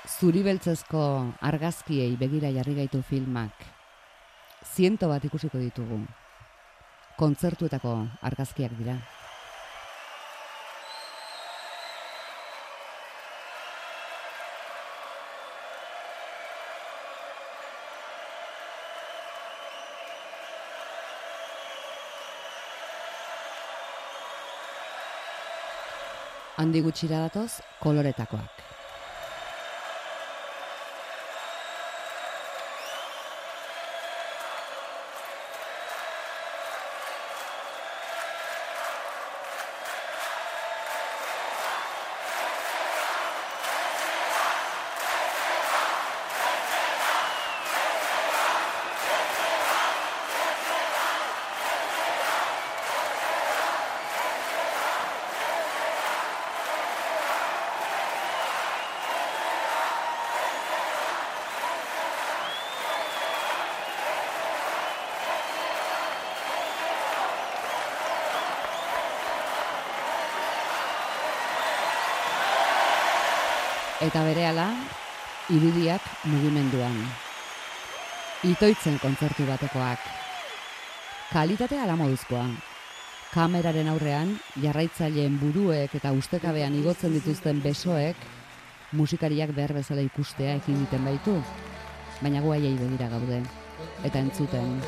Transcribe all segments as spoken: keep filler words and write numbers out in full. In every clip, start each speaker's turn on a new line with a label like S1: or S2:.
S1: Zuribeltzezko argazkiei begira jarri gaitu filmak. Ziento bat ikusiko ditugu. Kontzertuetako argazkiak dira. Handi gutxira datoz, koloretakoak. Eta berehala, irudiak mugimenduan. Itoitzen kontzertu batekoak. Kalitatea ala moduzkoa. Kameraren aurrean, jarraitzaileen buruek eta ustekabean igotzen dituzten besoek, musikariak behar bezala ikustea ekin egiten baitu. Baina gu haiei begira gaude. Eta entzuten.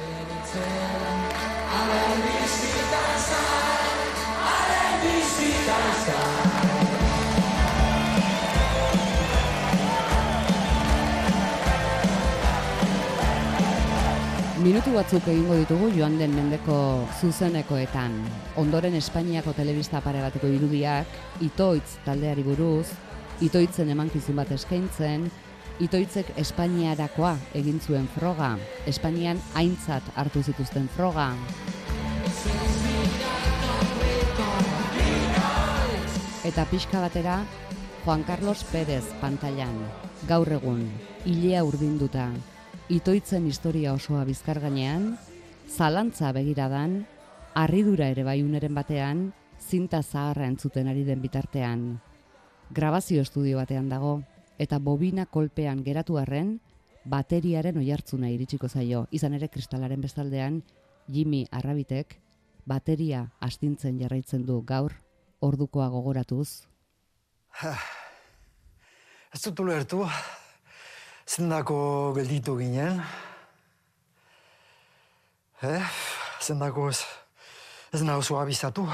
S1: Minutu batzuk egingo ditugu joan den mendeko zuzenekoetan. Ondoren Espainiako telebista pare bateko irudiak, Itoitz taldeari buruz, Itoitzen emankizun bat eskaintzen, Itoitzek Espainiarakoa egin zuen froga, Espainian aintzat hartu zituzten froga. Eta pixka batera, Juan Carlos Pérez pantailan, gaur egun, ilea urdinduta, Itoitzen historia osoa bizkar gainean, zalantza begiradan, harridura ere bai uneren batean, zinta zaharra entzuten ari den bitartean. Grabazio estudio batean dago, eta bobina kolpean geratu arren, bateriaren oihartzuna iritsiko zaio. Izan ere kristalaren bestaldean, Jimmy Arrabitek bateria astintzen jarraitzen du gaur, ordukoa gogoratuz.
S2: Ez dut ulertu. Zendako gelditu ginen. Eh? Zendako ez, ez nahuzu abizatu.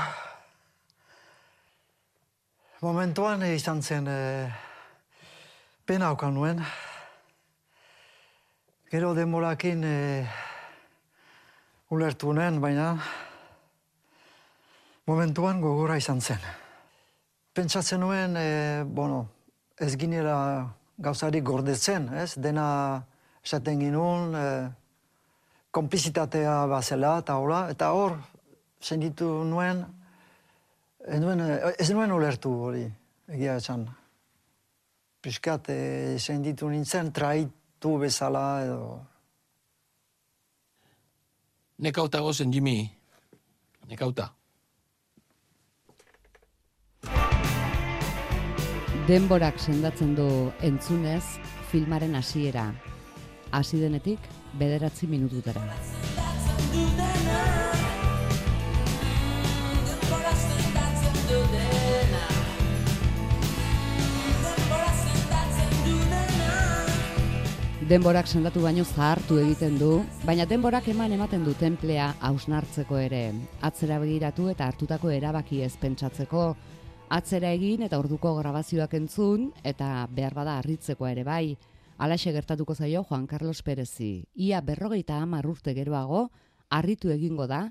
S2: Momentuan izan zen eh, pena okan nuen. Gero denborakin eh, ulertu nuen, baina momentuan gogora izan zen. Pentsatzen nuen, eh, bueno, ez ginela gauzarik gordetzen, ez? Dena esaten ginuen, eh, konplizitatea bazela, eta hola, eta hor, senditu nuen, ez nuen, ez nuen ulertu hori, egia esan. Piskat, eh, senditu nintzen, traitu bezala, edo.
S3: Nekauta gozen, Jimmy. Nekauta.
S1: Denborak sendatzen du entzunez filmaren hasiera. Hasi denetik bederatzi minututara. Denborak sendatu baino zahartu egiten du, baina denborak eman ematen du tenplea hausnartzeko ere. Atzera begiratu eta hartutako erabaki ez pentsatzeko, atzera egin eta orduko grabazioak entzun, eta behar bada harritzekoa ere bai. Halaxe gertatuko zaio Juan Carlos Pérezi. Ia berrogeita hamar urte geroago, harritu egingo da,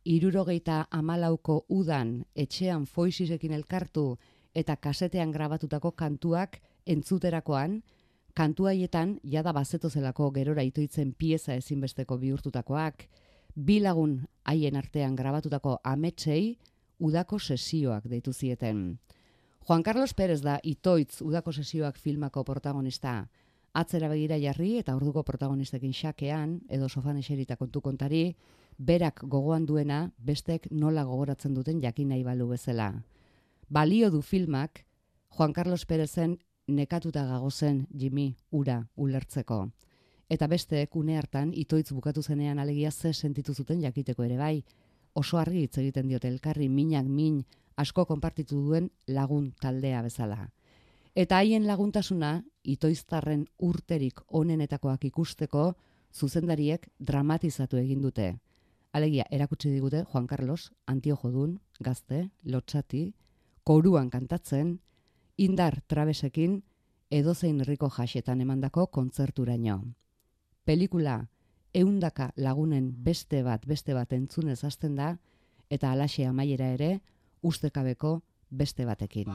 S1: hirurogeita hamalauko udan etxean foisisekin elkartu eta kasetean grabatutako kantuak entzuterakoan, kantu haietan jada bazetozelako gerora Itoitzen pieza ezinbesteko bihurtutakoak, bi lagun haien artean grabatutako ametsei udako sesioak deitu zieten. Juan Carlos Pérez da Itoitz udako sesioak filmako protagonista. Atzera begira jarri eta orduko protagonistekin xakean, edo sofan eserita kontu kontari, berak gogoan duena bestek nola gogoratzen duten jakin nahi balu bezala. Balio du filmak Juan Carlos Pérezen nekatuta gagozen Jimmy ura ulertzeko. Eta besteek une hartan itoitz bukatu zenean alegia ze sentitu zuten jakiteko ere bai. Oso argi hitz egiten diote elkarri minak min asko konpartitu duen lagun taldea bezala. Eta haien laguntasuna itoiztarren urterik onenetakoak ikusteko zuzendariek dramatizatu egin dute. Alegia erakutsi digute Juan Carlos antiojodun, gazte, lotsati, koruan kantatzen, indar trabesekin edozein herriko jasetan emandako kontzerturaino. Pelikula ehundaka lagunen beste bat beste bat entzunez hasten da eta halaxe amaiera ere ustekabeko beste batekin.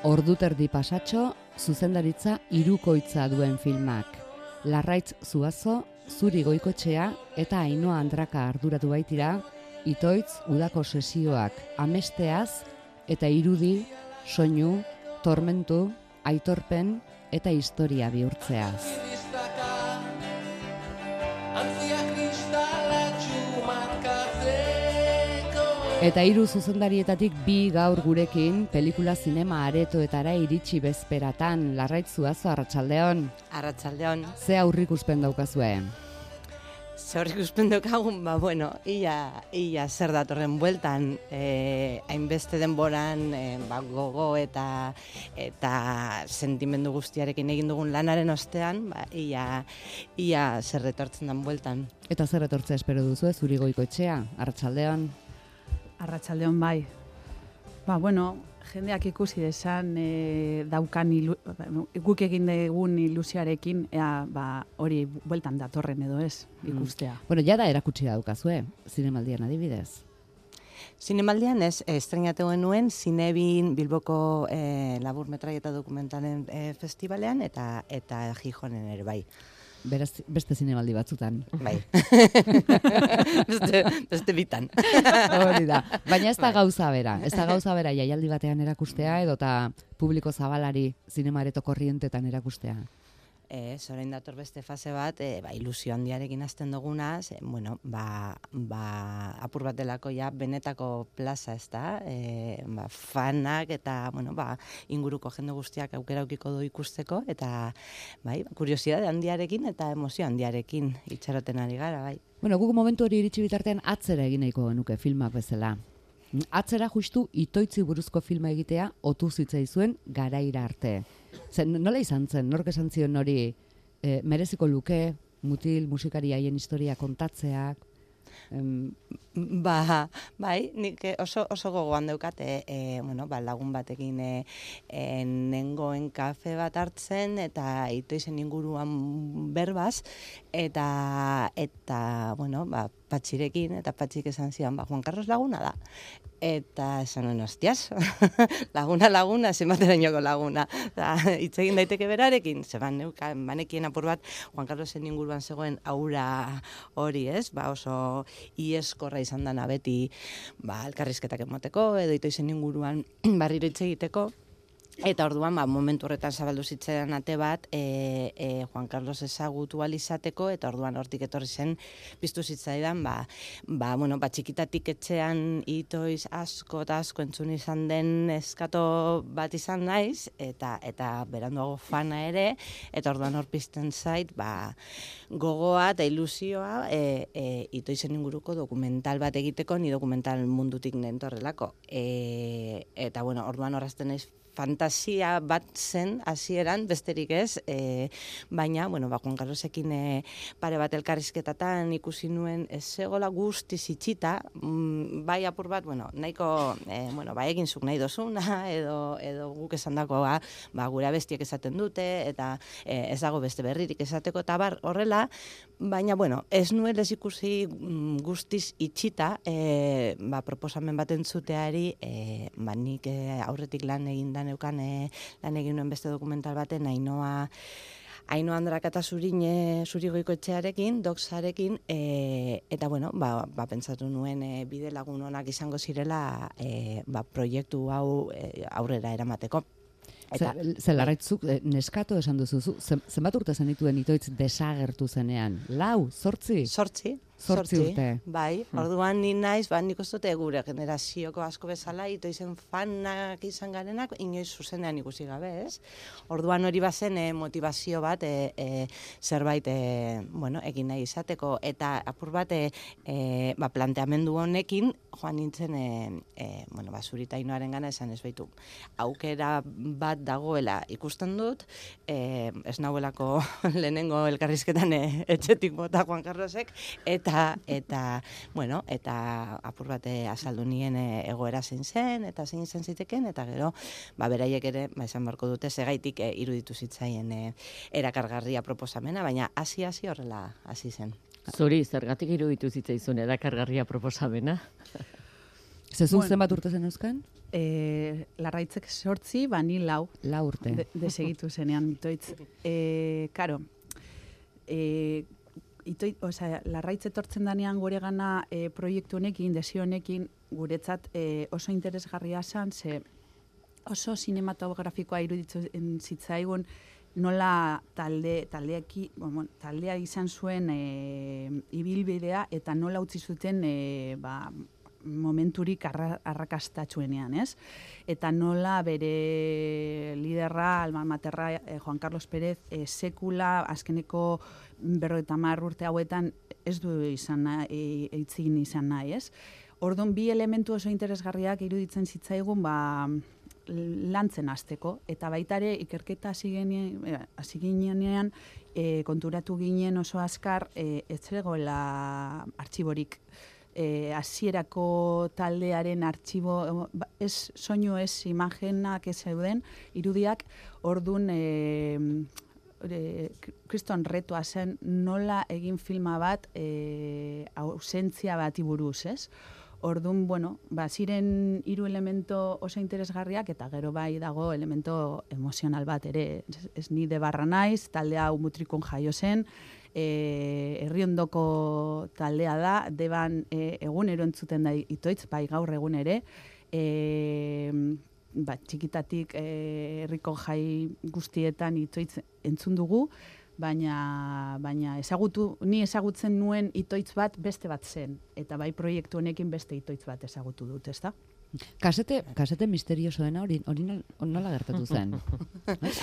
S1: Orduterdi pasatxo, zuzendaritza hirukoitza duen filmak. Larraitz Zuazo, Zuri Goikotxea eta Ainhoa Andraka arduratu baitira, itoitz udako sesioak amesteaz eta irudi, soinu, tormentu, aitorpen eta historia bihurtzeaz. Eta hiru zuzendarietatik bi gaur gurekin pelikula zinema aretoetara iritsi bezperatan. Larraitz Zuazo, arratsaldeon.
S4: Arratsaldeon.
S1: Ze aurrikuspen daukazue?
S4: Ze aurrikuspen daukagun, ba, bueno, ia, ia zer datorren bueltan, eh, hainbeste denboran, eh, ba, gogo eta eta sentimendu guztiarekin egin dugun lanaren ostean, ba, ia, ia zer retortzen den bueltan.
S1: Eta zer retortzea espero duzu, Zuri Goikotxea, arratsaldeon.
S5: Arratsaldeon bai. Ba, bueno, jendeak ikusi desan e, daukan ilu, guk egin dugun ilusioarekin, ea, ba, hori bueltan datorren edo ez, ikustea.
S1: Mm. Bueno, jada erakutsi daukazue, zinemaldian adibidez.
S4: Zinemaldian ez, estrenatu genuen Zinebin Bilboko e, labur metraieta dokumentalen e, festivalean eta eta Gijonen ere bai.
S1: Beraz, beste zinemaldi batzutan.
S4: Bai. beste, beste bitan.
S1: Hori da. Baina ez da gauza bera. Ez da gauza bera jaialdi batean erakustea edota publiko zabalari zinemareto korrientetan erakustea.
S4: Ez, orain dator beste fase bat, e, ba, ilusio handiarekin hasten duguna, ze, bueno, ba, ba, apur bat delako ja benetako plaza, ez da, e, ba, fanak eta, bueno, ba, inguruko jende guztiak aukera aukiko du ikusteko, eta, bai, kuriosidade handiarekin eta emozio handiarekin itxaroten ari gara, bai.
S1: Bueno, guk momentu hori iritsi bitartean atzera egin nahiko genuke filmak bezala. Atzera justu itoitzi buruzko filma egitea otu zitzaizuen garaira arte. Zen, nola izan zen, nork esan zion hori e, mereziko luke, mutil musikari haien historia kontatzeak? Em...
S4: Ba, bai, nik oso, oso gogoan daukat, e, e, bueno, ba, lagun batekin e, e, nengoen kafe bat hartzen, eta itoizen inguruan berbaz, eta, eta bueno, ba, patxirekin, eta patxik esan zidan, ba, Juan Carlos laguna da. Eta esan nuen, hostias, laguna, laguna, zenbaterainoko laguna. Hitz egin daiteke berarekin, zeban neukan, banekien apur bat, Juan Carlosen inguruan zegoen aura hori, ez? Ba, oso ieskorra izan dana beti, ba, elkarrizketak emoteko, edo itoizen inguruan barriro hitz egiteko. Eta orduan, ba, momentu horretan zabaldu zitzaidan ate bat, e, e, Juan Carlos ezagutu alizateko, eta orduan hortik etorri zen, piztu zitzaidan, ba, ba, bueno, ba, txikitatik etxean itoiz asko eta asko entzun izan den eskato bat izan naiz, eta eta beranduago fana ere, eta orduan hor pizten zait, ba, gogoa eta ilusioa e, e, itoizen inguruko dokumental bat egiteko, ni dokumental mundutik nentorrelako. E, eta, bueno, orduan horrazten naiz, fantasia bat zen hasieran besterik ez, e, baina, bueno, ba, Juan Carlosekin e, pare bat elkarrizketatan ikusi nuen ez zegoela guztiz itxita, mm, bai apur bat, bueno, nahiko, e, bueno, ba, egin zuk nahi dozuna, edo, edo guk esan dako, ba, ba, gure abestiek esaten dute, eta e, ez dago beste berririk esateko, eta bar horrela, baina, bueno, ez nuen ez ikusi mm, guztiz itxita, e, ba, proposamen bat entzuteari, e, ba, nik e, aurretik lan egin dan neukan e, lan egin nuen beste dokumental baten, Ainhoa Aino Andrak eta Zurin e, Zurigoiko etxearekin, doksarekin, e, eta bueno, ba, ba pentsatu nuen e, bide lagun onak izango zirela e, ba, proiektu hau e, aurrera eramateko.
S1: Eta, ze larraitzuk, neskato esan duzu, zenbat urte zenituen itoitz desagertu zenean? Lau, zortzi?
S4: Zortzi.
S1: Zortzi urte.
S4: Bai, orduan ni naiz, ba nik uste gure generazioko asko bezala itoizen fanak izan garenak inoiz zuzenean ikusi gabe, ez? Orduan hori bazen e, motivazio bat e, e, zerbait e, bueno, egin nahi izateko eta apur bat e, e, ba, planteamendu honekin joan nintzen e, e, bueno, ba Zuritainoaren gana esan ez baitu. Aukera bat dagoela ikusten dut, e, ez nauelako lehenengo elkarrizketan e, etxetik bota Juan Carlosek, eta Eta, eta, bueno, eta apur bate azaldu nien e, egoera zein zen, eta zein zen ziteken, eta gero, ba, beraiek ere, ba, esan barko dute, segaitik e, iruditu zitzaien e, erakargarria proposamena, baina hasi-hasi horrela hasi zen.
S6: Zuri, zergatik iruditu zitzaizun erakargarria proposamena?
S1: Zezun
S5: Bueno.
S1: zenbat urte zen euskan?
S5: E, larraitzek sortzi, bani lau,
S1: Lau urte.
S5: de, desegitu zenean itoitz. E, karo, e, Itoit, osea, larraitz etortzen danean gure gana e, proiektu honekin, desio honekin, guretzat e, oso interesgarria zen, ze oso sinematografikoa iruditzen zitzaigun, nola talde, taldeaki, bueno, taldea izan zuen e, ibilbidea eta nola utzi zuten e, ba, momenturik arra, arrakastatxuenean, ez? Eta nola bere liderra, alma materra, eh, Juan Carlos Pérez, eh, sekula, azkeneko berrogeita hamar urte hauetan ez du izan nahi, eitzin izan nahi, ez? Orduan, bi elementu oso interesgarriak iruditzen zitzaigun, ba, lantzen hasteko eta baita ere ikerketa hasi ginean e, konturatu ginen oso azkar e, ez zegoela artxiborik. E, hasierako taldearen artxibo, ez soinu ez imagenak ez zeuden, irudiak, ordun e, e, kriston retoa zen nola egin filma bat e, ausentzia bati buruz, ez? Ordun, bueno, ba, ziren hiru elemento oso interesgarriak eta gero bai dago elemento emozional bat ere. Ez, ez ni de barra naiz, taldea hau Mutrikon jaio zen, e, herriondoko taldea da, deban e, egunero entzuten da itoitz, bai gaur egun ere, e, ba, txikitatik e, herriko jai guztietan itoitz entzun dugu, baina baina ezagutu ni ezagutzen nuen itoitz bat beste bat zen eta bai proiektu honekin beste itoitz bat ezagutu dut, ezta?
S1: Kasete, kasete misteriosoena hori hori nola gertatu zen?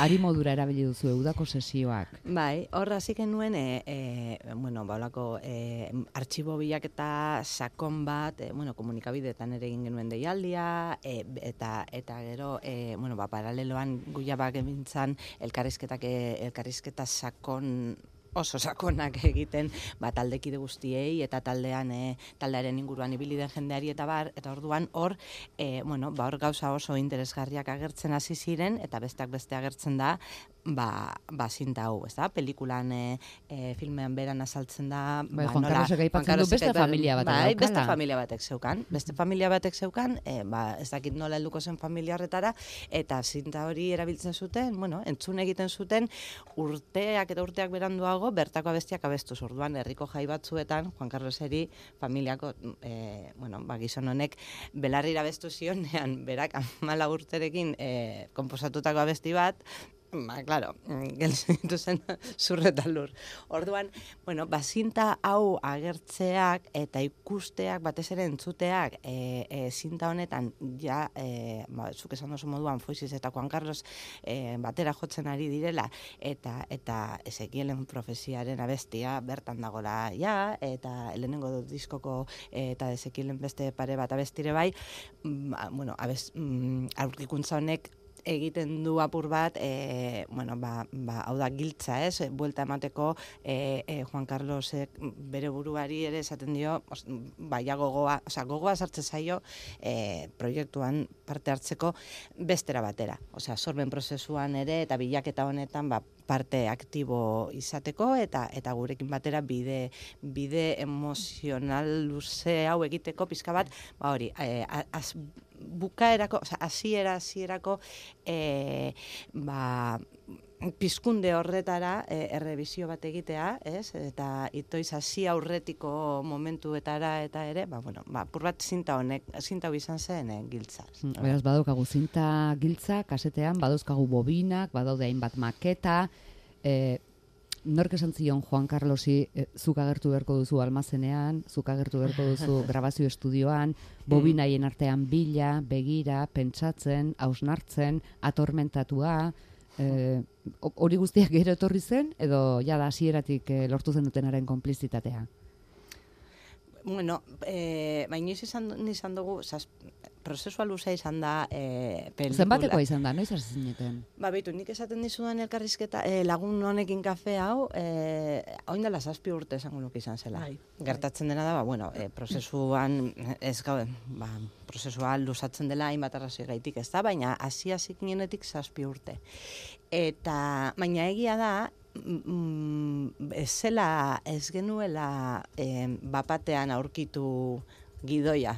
S1: Ari modura erabili duzu udako sesioak.
S4: Bai, hor hasi genuen e, e, bueno, ba holako e, artxibo bilaketa sakon bat, e, bueno, komunikabideetan ere egin genuen deialdia e, eta eta gero e, bueno, ba paraleloan guiabak emintzan elkarrizketak elkarrizketa sakon oso sakonak egiten ba, taldekide guztiei eta taldean e, taldearen inguruan ibili den jendeari eta bar, eta orduan hor e, bueno, ba, hor gauza oso interesgarriak agertzen hasi ziren eta besteak beste agertzen da ba, ba zinta hau, ez da? Pelikulan e, e, filmean beran azaltzen da
S1: Bai,
S4: ba,
S1: Juan Carlosek aipatzen du beste familia batek
S4: bai,
S1: daukala.
S4: beste familia batek zeukan, beste familia batek zeukan, e, ba, ez dakit nola helduko zen familia horretara, eta zinta hori erabiltzen zuten, bueno, entzun egiten zuten urteak eta urteak beranduago bertako abestiak abestuz. Orduan herriko jai batzuetan Juan Carloseri familiako e, bueno, ba, gizon honek belarrira abestu zionean berak hamalau urterekin e, konposatutako abesti bat, ba, claro, gelditu zen zurreta lur. Orduan, bueno, bazinta hau agertzeak eta ikusteak, batez ere entzuteak, e, e, zinta honetan, ja, e, ba, zuk esan oso moduan, Foixiz eta Juan Carlos e, batera jotzen ari direla, eta eta Ezekielen profesiaren abestia bertan dagola, ja, eta lehenengo diskoko e, eta Ezekielen beste pare bat abestire bai, ba, bueno, abest, mm, aurkikuntza honek egiten du apur bat, e, bueno, ba, ba, hau da giltza, ez? Buelta emateko e, e, Juan Carlosek bere buruari ere esaten dio, os, baia gogoa, osea, gogoa sartze zaio e, proiektuan parte hartzeko bestera batera. Osea, sorben prozesuan ere eta bilaketa honetan ba, parte aktibo izateko eta eta gurekin batera bide bide emozional luze hau egiteko pizka bat, ba hori, e, az, bukaerako, osea, hasiera hasierako e, ba pizkunde horretara e, errebizio bat egitea, ez? Eta itoiz hasi aurretiko momentuetara eta ere, ba, bueno, ba, pur bat zinta honek, zinta hau izan zen e, giltza.
S1: Beraz, badaukagu zinta giltza, kasetean, badauzkagu bobinak, badaude hainbat maketa, e, nork esan zion Juan Carlosi, e, zuk agertu beharko duzu almazenean, zuk agertu beharko duzu grabazio estudioan, bobinaien artean bila, begira, pentsatzen, hausnartzen, atormentatua, e, hori guztiak gero etorri zen, edo jada hasieratik e, lortu zen dutenaren konplizitatea?
S4: Bueno, eh, baina izan, izan dugu, zaz, prozesua luzea izan da e, pelikula.
S1: Zenbatekoa izan da, noiz hasi zineten?
S4: Ba, beitu, nik esaten dizudan elkarrizketa, e, lagun honekin kafe hau, e, hau indela zazpi urte esango nuke izan zela.
S5: Bai.
S4: Gertatzen dena da, ba, bueno, e, prozesuan, ez gaude, ba, prozesua luzatzen dela hainbat arrazoi gaitik, ez da, baina hasi-hasi ginenetik zazpi urte. Eta, baina egia da, mm, ez zela, ez genuela eh, bapatean aurkitu gidoia.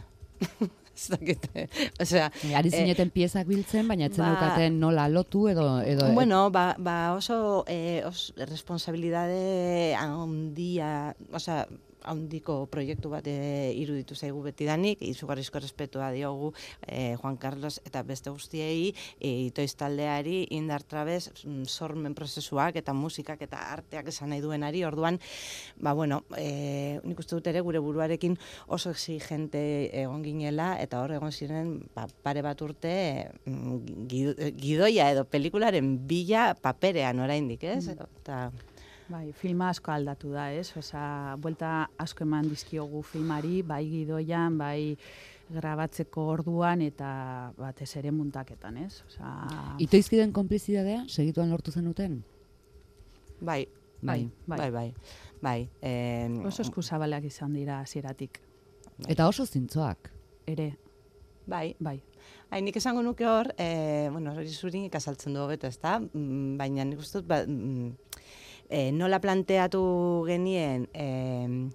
S4: Ez dakite, osea...
S1: Ari zineten piezak biltzen, baina etzen
S4: ba,
S1: daukaten nola lotu edo... edo
S4: bueno, ba, ba oso eh, os, responsabilidade handia, osea, handiko proiektu bat e, iruditu zaigu betidanik, izugarrizko respetua diogu e, Juan Carlos eta beste guztiei, e, itoiz taldeari, indar trabez, sormen prozesuak eta musikak eta arteak esan nahi duenari, orduan, ba, bueno, e, nik uste dut ere gure buruarekin oso exigente egon ginela, eta hor egon ziren ba, pare bat urte gidoia edo pelikularen bila paperean oraindik, ez? Eta...
S5: Bai, filma asko aldatu da, ez? Osa, buelta asko eman dizkiogu filmari, bai gidoian, bai grabatzeko orduan eta batez ere muntaketan, ez? Osa...
S1: Itoizkiden konplizidadea, segituan lortu zenuten?
S4: Bai, bai, bai, bai. bai. bai eh,
S5: oso eskuzabaleak izan dira hasieratik.
S4: Bai.
S1: Eta oso zintzoak.
S5: Ere.
S4: Bai,
S5: bai.
S4: Hain, nik esango nuke hor, eh, bueno, hori zurin ikasaltzen du hobeto, ez da? Baina nik uste dut, ba, E, nola planteatu genien, e,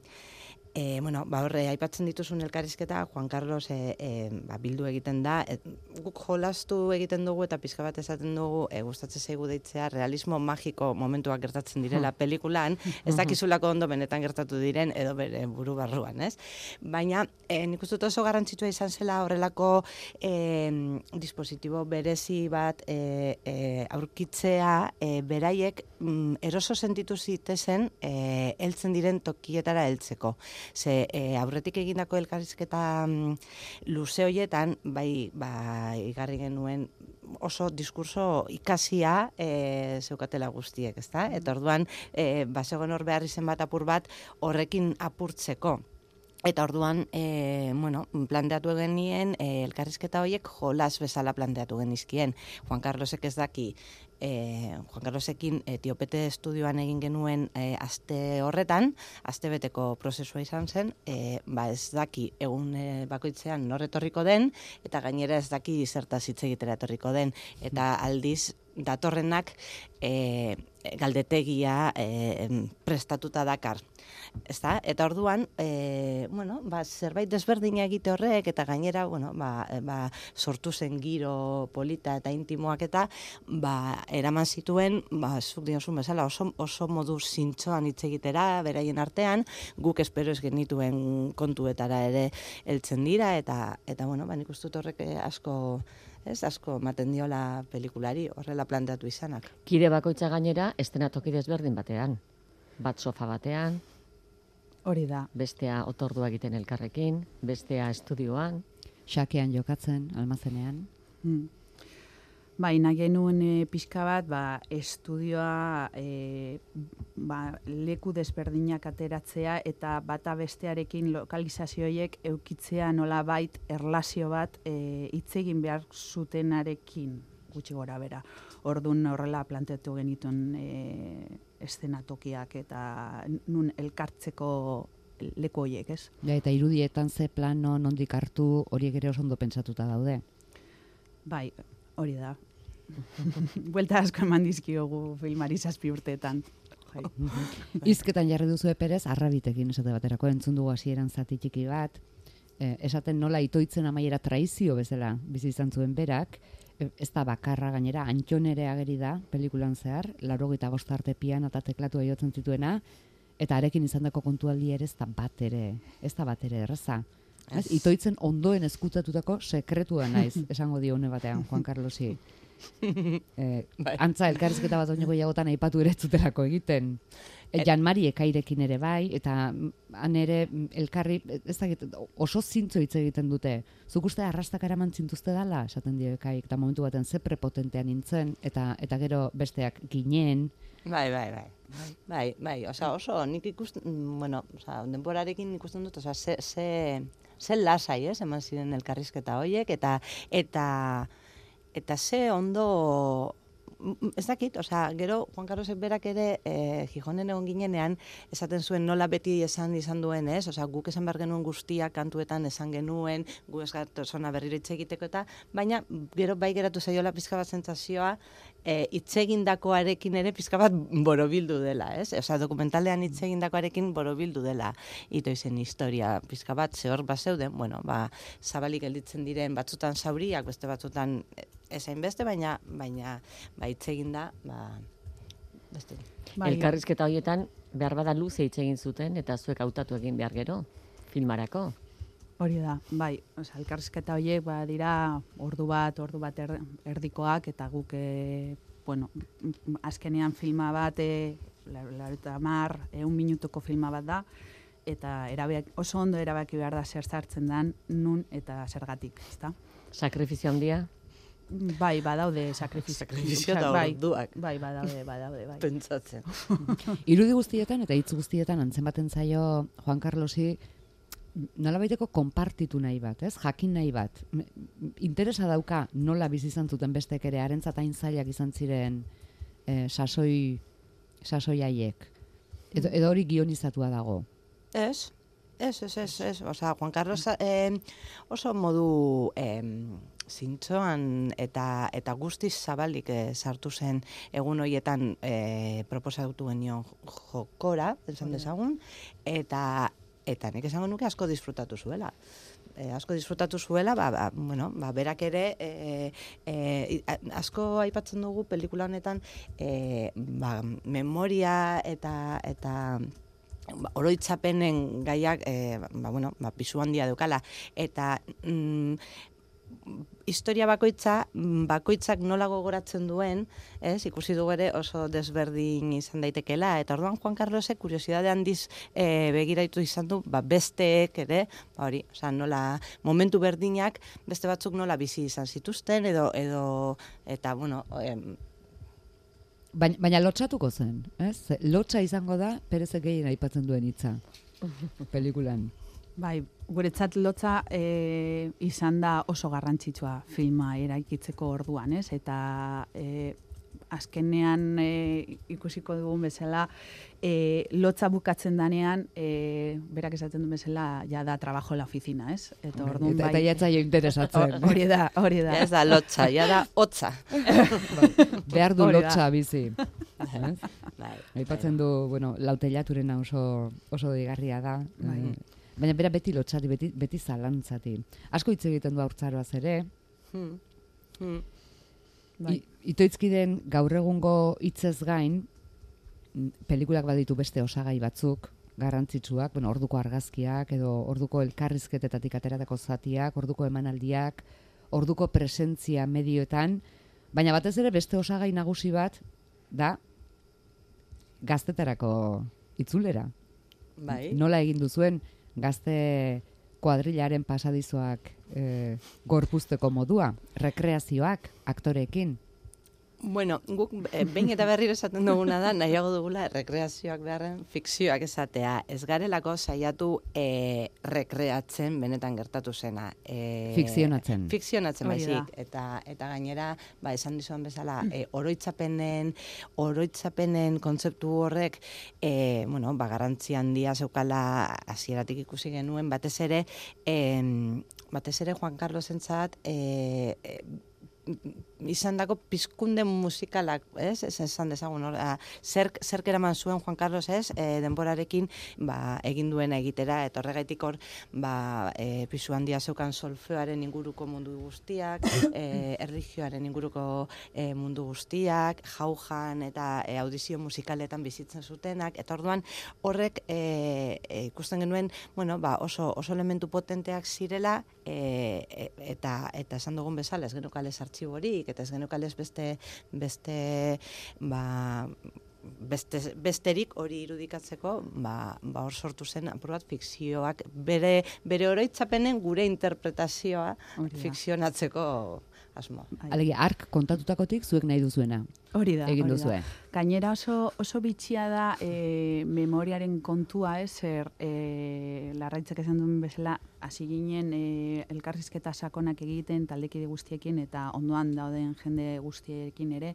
S4: e, bueno, ba horre, aipatzen dituzun elkarrizketa, Juan Carlos e, e, ba, bildu egiten da, e, guk jolastu egiten dugu eta pizka bat esaten dugu, e, gustatzen zaigu deitzea, realismo magiko momentuak gertatzen direla pelikulan, ez dakizulako ondo benetan gertatu diren, edo bere buru barruan, ez? Baina, e, nik uste dut oso garrantzitsua izan zela horrelako e, dispositibo berezi bat e, e, aurkitzea, e, beraiek mm, eroso sentitu zitezen e, heltzen diren tokietara heltzeko. Ze e, aurretik egindako elkarrizketa mm, luze hoietan, bai, ba, igarri genuen oso diskurso ikasia e, zeukatela guztiek, ezta? Eta orduan, e, basegoen hor behar izen bat apur bat horrekin apurtzeko. Eta orduan, e, bueno, planteatu genien, e, elkarrizketa horiek jolas bezala planteatu genizkien. Juan Carlosek ez daki, e, Juan Carlosekin Etiopete estudioan egin genuen e, aste horretan, aste beteko prozesua izan zen, e, ba ez daki egun e, bakoitzean norretorriko den, eta gainera ez daki zertaz hitz egitera etorriko den. Eta aldiz, datorrenak e, galdetegia e, prestatuta dakar. Ezta? Eta orduan, e, bueno, ba, zerbait desberdina egite horrek, eta gainera, bueno, ba, ba, sortu zen giro polita eta intimoak eta ba, eraman zituen, ba, zuk diozun bezala, oso, oso modu zintzoan hitz egitera, beraien artean, guk espero ez genituen kontuetara ere heltzen dira, eta, eta bueno, ba, nik uste dut horrek asko... Ez asko ematen diola pelikulari horrela planteatu izanak.
S6: Kide bakoitza gainera estenatoki desberdin batean. Bat sofa batean.
S5: Hori da.
S6: Bestea otordua egiten elkarrekin, bestea estudioan.
S1: Xakean jokatzen, almazenean.
S5: Hmm. Bai, nahi genuen e, pixka bat, ba, estudioa e, ba, leku desberdinak ateratzea eta bata bestearekin lokalizazioiek eukitzea nola bait erlazio bat e, hitz egin behar zutenarekin gutxi gora bera. Orduan horrela planteatu genituen e, eszenatokiak eta nun elkartzeko leku horiek, ez?
S1: Ja, eta irudietan ze plano nondik hartu horiek ere oso ondo pentsatuta daude.
S5: Bai, hori da. Buelta asko eman dizkiogu filmari zazpi urteetan. Bai.
S1: Hizketan jarri duzu eperez, arrabitekin esate baterako entzun dugu hasieran zati txiki bat, eh, esaten nola itoitzen amaiera traizio bezala bizi izan zuen berak, ez da bakarra gainera, Antton ere ageri da, pelikulan zehar, laurogeita bost arte piano eta teklatua jotzen zituena, eta arekin izandako kontualdi ere ez da bat ere, ez da bat ere erraza. Ez, itoitzen ondoen eskutatutako sekretua naiz, esango dio une batean, Juan Carlosi. eh, antza, elkarrizketa bat oineko jagotan aipatu ere ez zutelako egiten. E, Jan Mari Ekairekin ere bai, eta han ere elkarri, ez dakit, oso zintzo hitz egiten dute. Zuk uste arrastak eraman zintuzte dala, esaten dio Ekaik, eta momentu baten ze prepotentean nintzen, eta eta gero besteak ginen.
S4: Bai, bai, bai. Bai, bai, osea, oso nik ikusten, bueno, osea, denborarekin ikusten dut, osea, ze, ze, ze lasai, ez, eman ziren elkarrizketa horiek, eta, eta, eta ze ondo, ez dakit, osea, gero Juan Carlosek berak ere eh, Gijonen egon ginenean esaten zuen nola beti esan izan duen, ez? Osea, guk esan behar genuen guztia kantuetan esan genuen, gu ez gatozona berriro hitz egiteko eta, baina gero bai geratu zaiola pizka bat sentsazioa eh, hitz egindakoarekin ere pizka bat borobildu dela, ez? Osea, dokumentalean hitz egindakoarekin borobildu dela itoizen historia pizka bat, ze hor bazeuden, bueno, ba, zabalik gelditzen diren batzutan zauriak, beste batzutan ezain beste, baina baina ba hitz egin da, ba beste.
S6: Bai, elkarrizketa horietan behar bada luze hitz egin zuten eta zuek hautatu egin behar gero filmarako.
S5: Hori da, bai, osea, elkarrizketa horiek ba dira ordu bat, ordu bat er, erdikoak eta guk e, bueno, azkenean filma bat e, laurogeita hamar, ehun minutuko filma bat da eta erabak, oso ondo erabaki behar da zer sartzen dan nun eta zergatik, ezta?
S6: Sakrifizio handia?
S5: Bai, badaude sakrifizio.
S4: Sakrifizio eta orduak.
S5: Bai, badaude, badaude, bai.
S4: Pentsatzen.
S1: Irudi guztietan eta hitz guztietan antzen baten zaio Juan Carlosi nolabaiteko konpartitu nahi bat, ez? Jakin nahi bat. Interesa dauka nola bizi izan zuten bestek ere harentzat hain zailak izan ziren eh, sasoi sasoi haiek. Edo, edo hori gionizatua dago.
S4: Ez? Ez, ez, ez, ez. Osea, Juan Carlos eh, oso modu eh, zintzoan eta eta guztiz zabalik eh, sartu zen egun horietan eh, proposatu genion jokora, esan dezagun, eta eta nik esango nuke asko disfrutatu zuela. E, asko disfrutatu zuela, ba, ba, bueno, ba, berak ere e, e, asko aipatzen dugu pelikula honetan e, ba, memoria eta eta oroitzapenen gaiak eh, ba, bueno, ba, pisu handia daukala eta mm, historia bakoitza bakoitzak nola gogoratzen duen, ez? Ikusi dugu ere oso desberdin izan daitekeela eta orduan Juan Carlosek kuriosidade handiz eh, begiraitu izan du, ba, besteek ere, ba, hori, osea, nola momentu berdinak beste batzuk nola bizi izan zituzten edo edo eta bueno, em,
S1: Baina, baina lotxatuko zen, ez? Lotxa izango da Perezek gehien aipatzen duen hitza pelikulan.
S5: Bai, guretzat lotza e, izan da oso garrantzitsua filma eraikitzeko orduan, ez? Eta e, azkenean e, ikusiko dugun bezala e, lotza bukatzen danean e, berak esaten duen bezala ja da trabajo la oficina, ez? Eta orduan
S1: eta,
S5: bai.
S1: eta jatzaio interesatzen.
S5: Hori da, hori da.
S4: ez da lotza, ja da hotza.
S1: Behar du
S5: Hori da.
S1: lotxa bizi.
S4: Bai,
S1: Aipatzen du, bueno, lautelaturena oso, oso digarria da.
S5: Bai.
S1: Eh, baina bera beti lotxati, beti, beti zalantzati. Asko hitz egiten du haurtzaroaz ere.
S4: Hmm. Hmm.
S5: Bai.
S1: I, itoitzkiden gaur egungo hitzez gain, pelikulak baditu beste osagai batzuk, garrantzitsuak, bueno, orduko argazkiak, edo orduko elkarrizketetatik ateratako zatiak, orduko emanaldiak, orduko presentzia medioetan, baina batez ere beste osagai nagusi bat da gaztetarako itzulera.
S4: Bai.
S1: Nola egin duzuen gazte kuadrilaren pasadizoak eh, gorpuzteko modua, rekreazioak aktoreekin.
S4: Bueno, guk e, behin eta berriro esaten duguna da, nahiago dugula rekreazioak beharren fikzioak esatea. Ez garelako saiatu e, rekreatzen benetan gertatu zena. E,
S1: Fikzionatzen.
S4: Fikzionatzen
S5: Hori da.
S4: baizik. Eta, eta gainera, ba, esan dizuan bezala, e, oroitzapenen, oroitzapenen kontzeptu horrek, e, bueno, ba, garrantzi handia zeukala hasieratik ikusi genuen, batez ere, e, batez ere Juan Carlosentzat, e, e, izan dako pizkunde musikalak, ez? Ez esan dezagun, hor, zerk, zerk eraman zuen Juan Carlos, ez? E, denborarekin, ba, egin duena egitera, eta horregaitik hor, ba, e, pisu handia zeukan solfeoaren inguruko mundu guztiak, e, erlijioaren inguruko e, mundu guztiak, jaujan eta e, audizio musikaletan bizitzen zutenak, eta orduan horrek e, e, ikusten genuen, bueno, ba, oso, oso elementu potenteak zirela, e, e, eta, eta esan dugun bezala, ez genukales artxiborik, eta ez genukales beste, beste, ba, Beste, besterik hori irudikatzeko, ba, ba hor sortu zen apur bat fikzioak, bere, bere oroitzapenen gure interpretazioa fikzionatzeko asmo.
S1: Alegia, ark kontatutakotik zuek nahi duzuena.
S5: Hori da,
S1: egin
S5: hori
S1: duzue.
S5: da. Gainera oso, oso bitxia da e, memoriaren kontua, ez, er, e, Larraitzek esan duen bezala, hasi ginen e, elkarrizketa sakonak egiten taldekide guztiekin eta ondoan dauden jende guztiekin ere,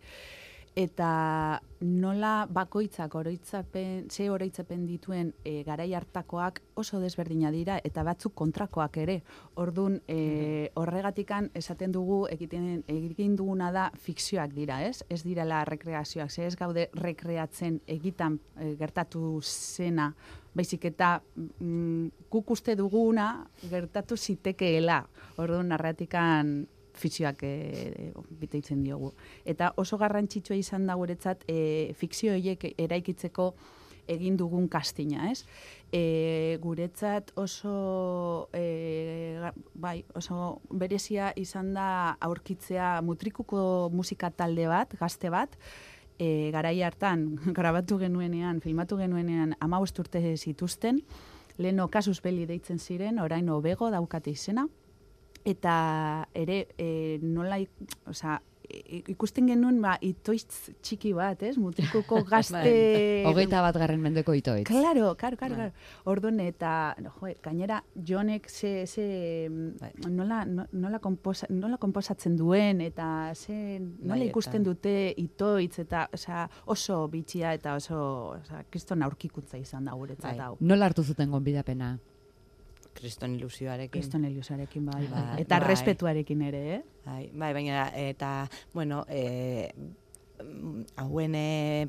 S5: eta nola bakoitzak oroitzapen, ze oroitzapen dituen e, garai hartakoak oso desberdina dira eta batzuk kontrakoak ere. Ordun e, horregatikan esaten dugu egiten egin duguna da fikzioak dira, ez? Ez direla rekreazioak, ze ez gaude rekreatzen egitan e, gertatu zena, baizik eta mm, guk uste duguna gertatu zitekeela. Ordun narratikan fikzioak e, biteitzen diogu. Eta oso garrantzitsua izan da guretzat e, fikzio horiek eraikitzeko egin dugun kastina, ez? E, guretzat oso e, bai, oso berezia izan da aurkitzea mutrikuko musika talde bat, gazte bat, e, garai hartan grabatu genuenean, filmatu genuenean hamabost urte zituzten, leheno Kasus Belli deitzen ziren, orain Obego daukate izena, eta ere e, nola, osea, ikusten genuen ba, itoitz txiki bat, ez? Mutrikuko gazte...
S1: Hogeita bat garren mendeko itoitz.
S5: Claro, claro, claro. claro. Orduan, eta, no, jo, gainera, Jonek ze, ze nola, nola, komposa, nola komposatzen duen, eta ze, nola bai, ikusten eta... dute itoitz, eta osea, oso bitxia, eta oso, osea, kriston aurkikuntza izan da guretzat
S4: bai.
S5: hau.
S1: Nola hartu zuten gonbidapena?
S4: Kriston ilusioarekin.
S5: Kriston ilusioarekin, bai, bai.
S4: Bai,
S5: eta
S4: bai.
S5: Respetuarekin ere, eh?
S4: Bai, bai, baina, eta, bueno, e, hauen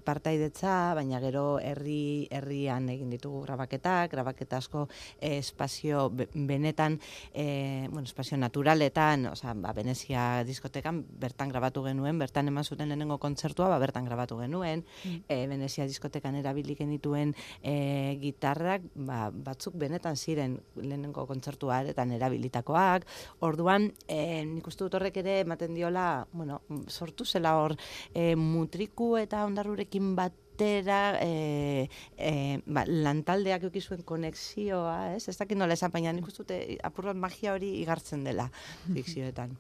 S4: partaidetza, baina gero herri herrian egin ditugu grabaketak, grabaketa asko eh, espazio be, benetan, eh, bueno, espazio naturaletan, osea, ba, Venezia diskotekan bertan grabatu genuen, bertan eman zuten lehenengo kontzertua, ba, bertan grabatu genuen, mm. eh, Venezia diskotekan erabili genituen eh, gitarrak, ba, batzuk benetan ziren lehenengo kontzertuaretan erabilitakoak, orduan, eh, nik uste dut horrek ere ematen diola, bueno, sortu zela hor, eh, mutriku eta ondarrurekin batera e, e, ba, lantaldeak eukizuen konexioa, ez? Ez dakit nola esan, baina nik uste dute apur bat magia hori igartzen dela fikzioetan.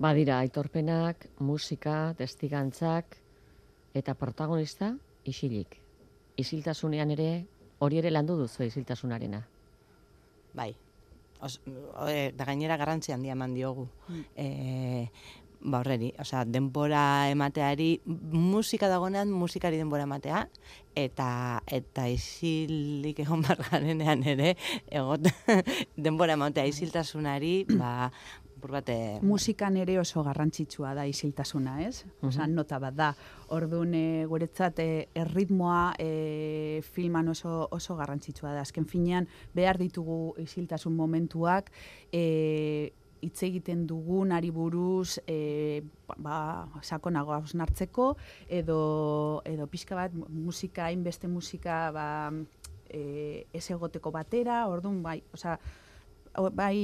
S6: Badira, aitorpenak, musika, testigantzak eta protagonista isilik. Isiltasunean ere, hori ere landu duzu isiltasunarena.
S4: Bai. Os, e, da gainera garrantzi handia eman diogu. Mm. E, ba horreri, osea, denbora emateari, musika dagoenean musikari denbora ematea, eta eta isilik egon barganenean ere, egot, denbora ematea isiltasunari, ba, bate...
S5: Musikan ere oso garrantzitsua da isiltasuna, ez? Osea, nota bat da. Orduan, e, guretzat, e, erritmoa e, filman oso, oso garrantzitsua da. Azken finean, behar ditugu isiltasun momentuak, e, hitz egiten dugunari buruz e, ba, sakonago hausnartzeko, edo, edo pixka bat musika, hainbeste musika ba, e, ez egoteko batera, orduan bai, osea, bai...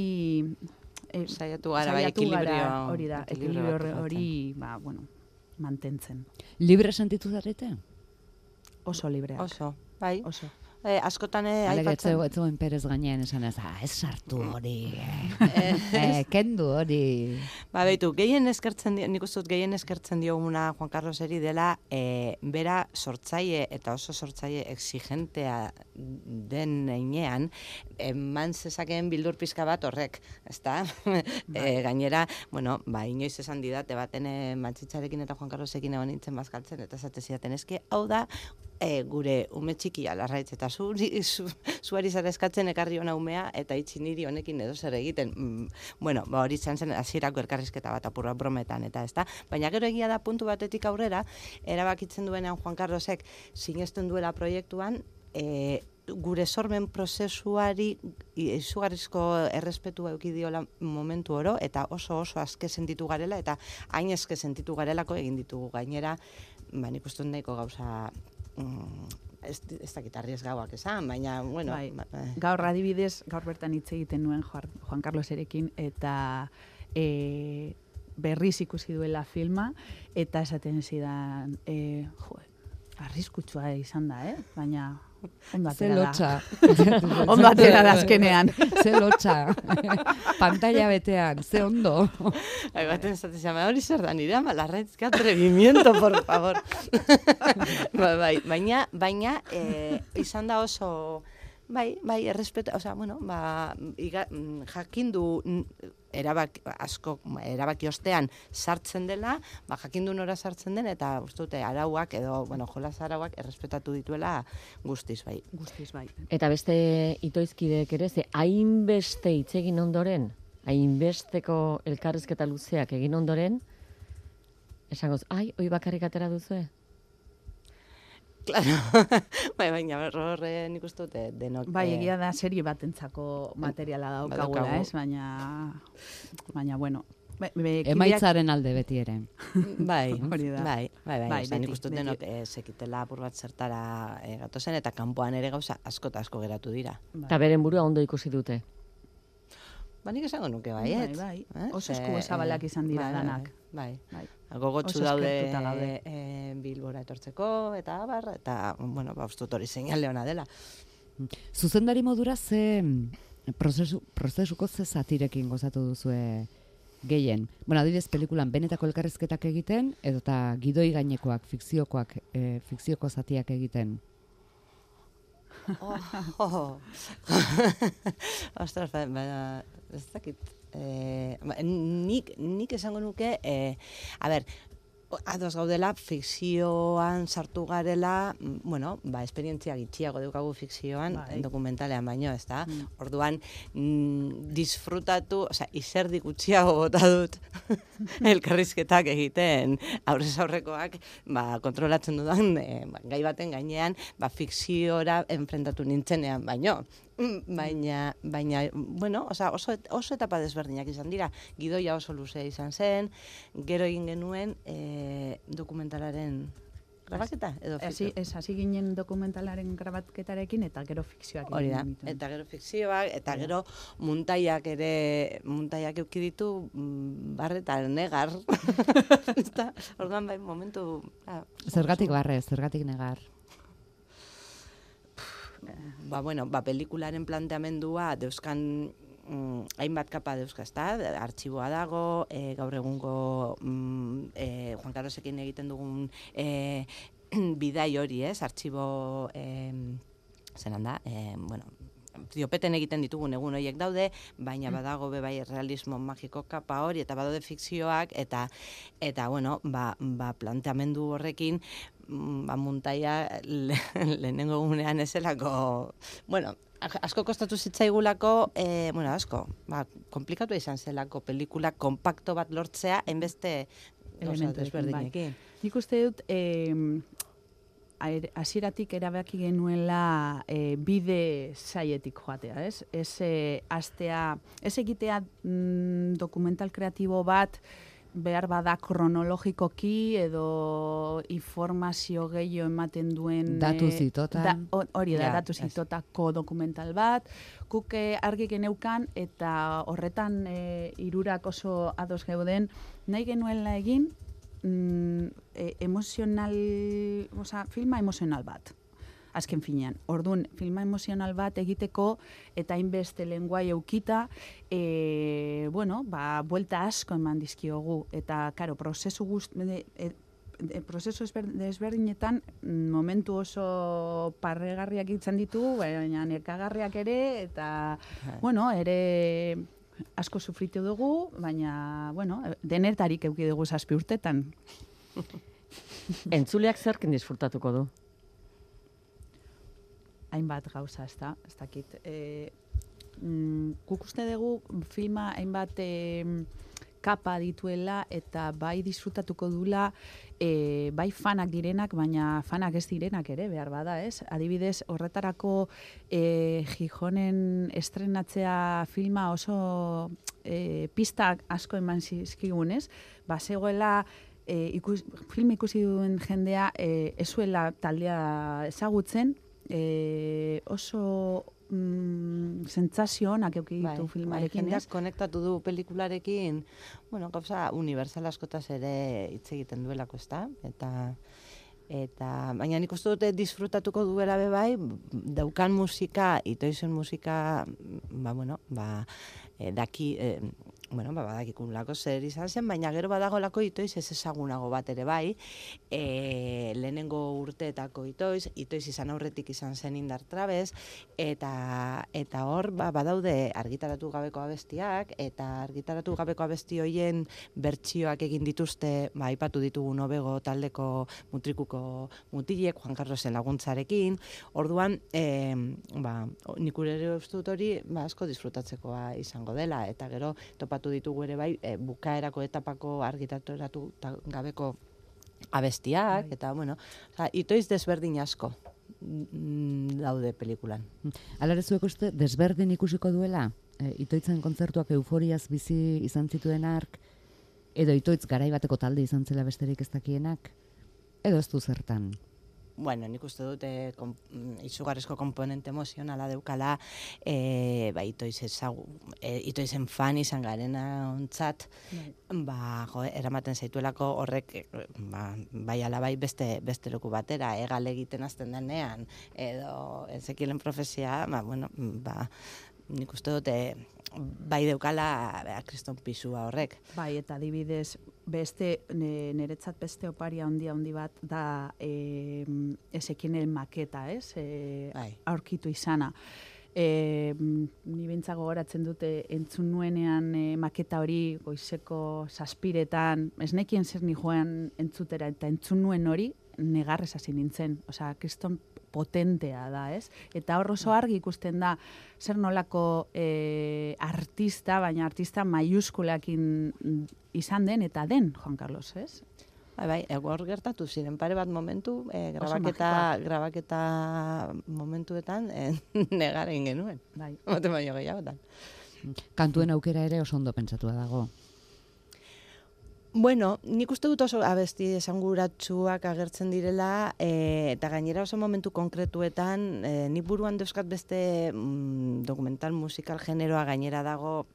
S4: E, saiatu gara, bai, ekilibrio
S5: hori da, ekilibrio hori, ba, bueno, mantentzen.
S1: Libre sentitu zarete?
S5: Oso libreak.
S4: Oso, bai.
S5: Oso.
S4: Eh, askotan eh,
S1: aipatzen. Alega, etzegoen Perez gainean esan ez, ah, ez sartu hori, eh, eh, kendu hori.
S4: Ba, behitu, gehien eskertzen dio, nik uste dut gehien eskertzen dioguna Juan Carloseri dela, eh, bera sortzaile eta oso sortzaile exigentea den heinean, eman zezakeen bildur pizka bat horrek, ezta? eh, gainera, bueno, ba, inoiz esan didate baten eh, Matxitzarekin eta Juan Carlosekin egon nintzen bazkaltzen, eta esate zidaten, eske, hau da, e, gure ume txikia larraitz eta zu, zu, zuari zara eskatzen ekarri hona umea eta itxi niri honekin edo zer egiten. Mm, bueno, ba, hori izan zen hasierako elkarrizketa bat apurra brometan eta ezta. Baina gero egia da puntu batetik aurrera, erabakitzen duenean Juan Carlosek sinesten duela proiektuan, e, gure sormen prozesuari izugarrizko errespetua eduki diola momentu oro, eta oso oso aske sentitu garela, eta hain aske sentitu garelako egin ditugu gainera, ba, nik uste nahiko gauza, mm, ez, ez dakit arriesgauak esan, baina, bueno...
S5: Bai,
S4: ba,
S5: gaur adibidez, gaur bertan hitz egiten nuen Juan Carloserekin, eta e, berriz ikusi duela filma, eta esaten zidan, e, jo, arriskutsua izan da, eh? Baina... Ondo atera da. Ondo atera da azkenean.
S1: Ze lotxa. Pantalla betean, ze ondo.
S4: Hai, baten esaten zama, hori zer da nire, ama, larraitz, que atrevimiento, por favor. ba, bai, baina, baina, eh, izan da oso, bai, bai, errespeta, osea, bueno, ba, iga, jakindu erabaki, asko, erabaki ostean sartzen dela, ba, jakindu nora sartzen den, eta uste dute arauak edo, bueno, jolas arauak errespetatu dituela guztiz, bai.
S5: Guztiz, bai.
S6: Eta beste itoizkideek ere, ze hainbeste hitz egin ondoren, hainbesteko elkarrizketa luzeak egin ondoren, esangoz, ai, hoi bakarrik atera duzue?
S4: Claro, bai, baina horre nik uste dute denok...
S5: Bai, egia da serie batentzako materiala daukagula, ez? Baina, baina, bueno... Be, be,
S1: Emaitzaren alde beti ere.
S4: Bai,
S5: hori da.
S4: bai, bai, bai,
S5: bai,
S4: bai nik uste dut denok e, sekitela apur bat zertara e, gatozen, eta kanpoan ere gauza asko eta asko geratu dira.
S6: Eta beren burua ondo ikusi dute.
S4: Ba, nik esango nuke bai,
S5: bai,
S4: et?
S5: bai.
S4: Eh?
S5: Oso esku zabalak izan dira
S4: bai,
S5: danak.
S4: Bai,
S5: bai.
S4: Gogotsu
S5: Oso
S4: daude,
S5: eskertuta gaude.
S4: e, Bilbora etortzeko, eta abar, eta, bueno, ba, uste dut hori seinale ona dela.
S1: Zuzendari modura ze prozesu, prozesuko ze zatirekin gozatu duzue gehien? Bueno, adibidez, pelikulan benetako elkarrizketak egiten, edo eta gidoi gainekoak, fikziokoak, e, fikzioko zatiak egiten.
S4: Oh, oh. Ostras, baina, ez dakit. Eh, nik, nik esango nuke, eh, a ber, ados gaudela, fikzioan sartu garela, bueno, ba, esperientzia gitxiago daukagu fikzioan, bai. Dokumentalean baino, ez da? Mm. Orduan, mm, disfrutatu, osea, izerdik gutxiago bota dut elkarrizketak egiten, aurrez aurrekoak, ba, kontrolatzen dudan, eh, gai baten gainean, ba, fikziora enfrentatu nintzenean baino. Baina, baina, bueno, oza, oso, oso etapa desberdinak izan dira. Gidoia oso luzea izan zen, gero egin genuen e, dokumentalaren grabaketa edo fikzio.
S5: Ez, hasi ginen dokumentalaren grabaketarekin eta gero fikzioak.
S4: Hori da, eta gero fikzioak, eta gero muntaiak ere, muntaiak euki ditu barre eta negar. Orduan bai, momentu... Ah,
S1: zergatik barre, zergatik negar?
S4: Ba, bueno, ba, pelikularen planteamendua deuskan mm, hainbat kapa deuzka, ezta? Artxiboa dago, e, gaur egungo mm, e, Juan Carlosekin egiten dugun e, bidai hori, ez? Artxibo, e, zenan da, e, bueno, diopeten egiten ditugun egun horiek daude, baina badago be bai realismo magiko kapa hori, eta badaude fikzioak, eta, eta bueno, ba, ba planteamendu horrekin, ba, muntaia le, lehenengo egunean ezelako, bueno, asko kostatu zitzaigulako, e, bueno, asko, ba, komplikatu izan zelako pelikula kompakto bat lortzea, hainbeste gauza desberdinekin.
S5: Nik uste dut, eh, hasieratik erabaki genuela e, bide zaietik joatea, ez? Ez e, astea, ez egitea mm, dokumental kreatibo bat behar bada kronologikoki edo informazio gehiago ematen duen...
S1: Datu zitotan.
S5: Da, hori da,
S1: ja,
S5: datu zitotako dokumental bat. Guk e, argi geneukan eta horretan e, hirurak oso ados geuden, nahi genuela egin, Mm, e, emozional, oza, filma emozional bat, azken finean. Orduan, filma emozional bat egiteko eta hainbeste lenguai eukita, e, bueno, ba, buelta asko eman dizkiogu. Eta, karo, prozesu guzti, e, e, prozesu desberdinetan momentu oso parregarriak izan ditugu, baina nekagarriak ere, eta, bueno, ere... asko sufritu dugu, baina, bueno, denetarik euki dugu zazpi urtetan.
S6: Entzuleak zerkin disfrutatuko du?
S5: hainbat gauza, ez da, ez dakit. E, mm, guk uste dugu filma hainbat e, kapa dituela eta bai disfrutatuko dula e, bai fanak direnak, baina fanak ez direnak ere, behar bada, ez? Adibidez, horretarako e, Gijonen estrenatzea filma oso e, pista asko eman zizkigunez, ba, zegoela e, ikus, film ikusi duen jendea e, ezuela taldea ezagutzen, e, oso mm, sentsazio onak eduki ditu
S4: bai,
S5: filmarekin,
S4: jendeak
S5: ez?
S4: konektatu du pelikularekin, bueno, gauza universal askotaz ere hitz egiten duelako, ezta? Eta eta baina nik uste dute disfrutatuko duela be bai, daukan musika, itoizen musika, ba bueno, ba e, daki e, bueno, ba, badakikulako zer izan zen, baina gero badagolako itoiz ez ezagunago bat ere bai, e, lehenengo urteetako itoiz, itoiz izan aurretik izan zen Indar Trabez, eta eta hor ba, badaude argitaratu gabeko abestiak, eta argitaratu gabeko abesti hoien bertsioak egin dituzte, ba, aipatu ditugu Nobego taldeko mutrikuko mutilek, Juan Carlosen laguntzarekin, orduan, e, ba, nik ere uste dut hori ba, asko disfrutatzekoa izango dela, eta gero topatu ditugu ere bai, e, bukaerako etapako argitaratu gabeko abestiak, bai. Eta, bueno, oza, itoiz desberdin asko daude pelikulan.
S1: Alare zuek uste, desberdin ikusiko duela? E, itoitzen kontzertuak euforiaz bizi izan zituen ark, edo itoitz garaibateko talde izan zela besterik ez dakienak, edo ez du zertan?
S4: Bueno, nik uste dute kom, izugarrizko komponente emozionala deukala, e, ba, itoiz ezagu, e, itoizen fan izan garena ontzat, ba, jo, eramaten zaituelako horrek, ba, bai ala bai beste, beste leku batera, egal egiten azten denean, edo Ezekielen profezia, ba, bueno, ba, nik uste dute bai deukala ba, kriston pisua horrek.
S5: Bai, eta adibidez, beste, niretzat beste oparia handia handi bat da e, Ezekielen maketa, ez? E,
S4: bai.
S5: Aurkitu izana. E, ni bintzago goratzen dute entzun nuenean e, maketa hori goizeko zazpiretan, ez nekien zer ni joan entzutera, eta entzun nuen hori negarrez hasi nintzen. Osea, kriston potentea da, ez? Eta hor oso argi ikusten da zer nolako e, artista, baina artista maiuskulakin izan den eta den Juan Carlos, ez?
S4: Bai, bai, hor gertatu ziren pare bat momentu, e, grabaketa, grabaketa momentuetan e, negaren genuen.
S5: Bai.
S4: Mote baino gehiagotan.
S1: Kantuen aukera ere oso ondo pentsatua dago.
S4: Bueno, nik uste dut oso abesti esanguratsuak agertzen direla, e, eta gainera oso momentu konkretuetan, e, nik buruan dauzkat beste mm, dokumental musikal generoa gainera dago,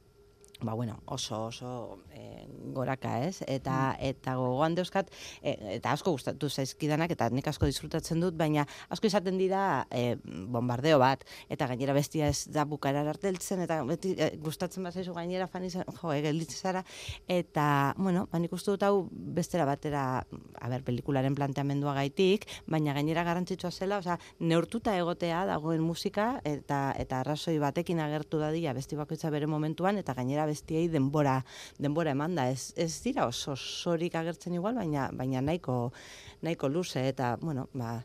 S4: ba bueno, oso oso e, goraka, ez? Eta mm. eta gogoan dauzkat, e, eta asko gustatu zaizkidanak, eta nik asko disfrutatzen dut, baina asko izaten dira e, bombardeo bat, eta gainera bestia ez da bukaerar arte heltzen, eta beti e, gustatzen bazaizu gainera fan izan, jo, gelditzen zara, eta, bueno, ba, nik uste dut hau bestera batera, a ber, pelikularen planteamendua gaitik, baina gainera garrantzitsua zela, osea, neurtuta egotea dagoen musika, eta eta arrazoi batekin agertu dadila besti bakoitza bere momentuan, eta gainera bestiei denbora denbora emanda, ez ez dira oso sorik agertzen igual, baina baina nahiko nahiko luze, eta bueno, ba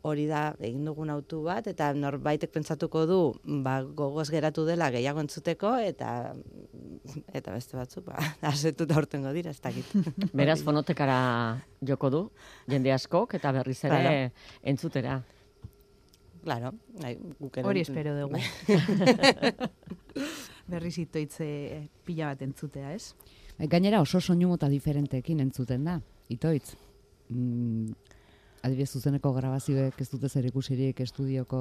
S4: hori da egin dugun autu bat, eta norbaitek pentsatuko du, ba gogoz geratu dela gehiago entzuteko, eta eta beste batzuk ba asetuta aurtengo dira, ez dakit.
S6: Beraz fonotekara joko du jende askok eta berriz ere
S4: Claro.
S6: entzutera.
S4: Claro, guk ere
S5: Hori espero dugu. Berriz itoitze pila bat entzutea, ez?
S1: Gainera oso soinu mota diferenteekin entzuten da, itoitz. Mm, adibidez zuzeneko grabazioek ez dute zer ikusirik estudioko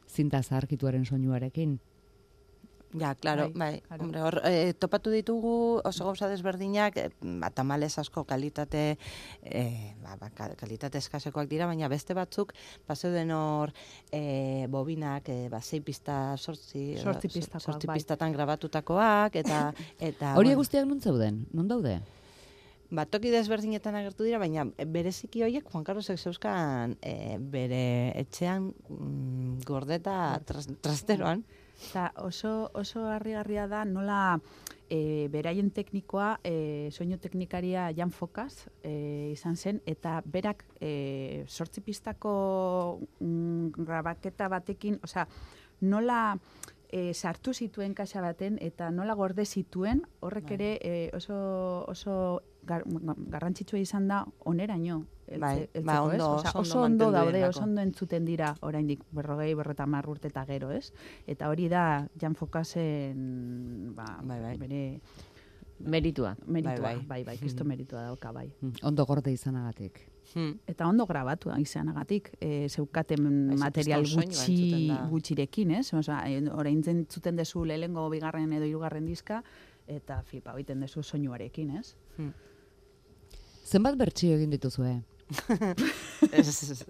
S1: zinta zaharkituaren soinuarekin.
S4: Ja, claro,
S5: Bai,
S4: bai.
S5: claro.
S4: Hombre, hor, e, topatu ditugu oso gauza desberdinak, e, ba, tamalez asko kalitate, e, ba, ba, ka- kalitate eskasekoak dira, baina beste batzuk, bazeuden hor, e, bobinak, e, ba, sei pista, sortzi,
S5: Zortzi pistakoak,
S4: sortzi
S5: bai.
S4: pistatan grabatutakoak, eta, eta,
S1: Horiek
S4: bueno,
S1: guztiak non zeuden? Non daude?
S4: ba, toki desberdinetan agertu dira, baina bereziki horiek Juan Carlosek zeuzkan e, bere etxean mm, gordeta tras, trasteroan.
S5: Eta oso, oso harrigarria da nola e, beraien teknikoa, e, soinu teknikaria Jan Fokaz e, izan zen, eta berak e, sortzi pistako mm, grabaketa batekin, osea, nola e, sartu zituen kaxa baten, eta nola gorde zituen, horrek ere e, oso, oso gar, garrantzitsua izan da oneraino.
S4: Bai, ba, ondo,
S5: Osa,
S4: oso
S5: oso ondo daude, oso ondo entzuten dira, oraindik berrogei, berrogeita urte eta gero, ez? Eta hori da Jan Fokazen, ba,
S4: bai, bai.
S5: bere
S6: Meritua.
S5: meritua,
S4: Bai,
S5: bai,
S4: bai.
S5: bai, bai, kristo meritua dauka, bai.
S1: Ondo gorde izanagatik.
S4: Hmm.
S5: Eta ondo grabatu izanagatik, e, zeukaten
S4: Bai,
S5: material
S4: kriston soinua
S5: gutxi,
S4: entzuten da.
S5: gutxirekin, ez? Osa, orain entzuten dezu lehengo, bigarren edo hirugarren diska, eta flipa egiten dezu soinuarekin, ez?
S4: Hmm.
S1: Zenbat bertsio egin dituzue?
S4: ez, ez,